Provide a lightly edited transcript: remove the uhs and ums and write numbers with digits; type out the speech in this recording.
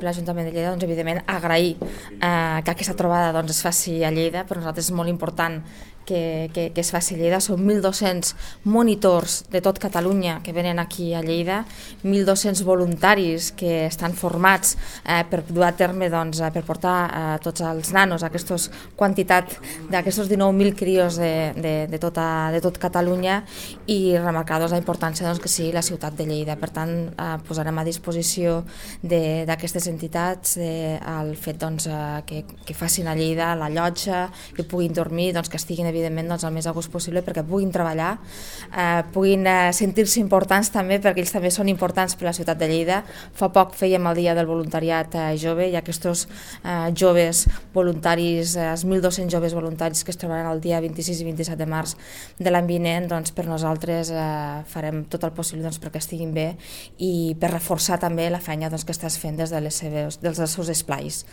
L'Ajuntament de Lleida, evidentment, agrair que aquesta trobada es faci a Lleida. Per nosaltres és molt important que es faci a Lleida. Són 1.200 monitors de tot Catalunya que venen aquí a Lleida, 1.200 voluntaris que estan formats per dur a terme, per portar tots els nanos a aquesta quantitat d'aquests 19.000 crios de tot Catalunya, i remarcar la importància que sigui la ciutat de Lleida. Per tant, posarem a disposició d'aquestes entitats el fet que facin a Lleida la llotja, que puguin dormir, que estiguin evidentment el més a gust possible, perquè puguin treballar, puguin sentir-se importants també, perquè ells també són importants per a la ciutat de Lleida. Fa poc fèiem el dia del voluntariat jove, i aquests joves voluntaris, els 1.200 joves voluntaris que es trobaran el dia 26 i 27 de març de l'any vinent, per nosaltres farem tot el possible perquè estiguin bé, i per reforçar també la feina que estàs fent des dels seus esplais.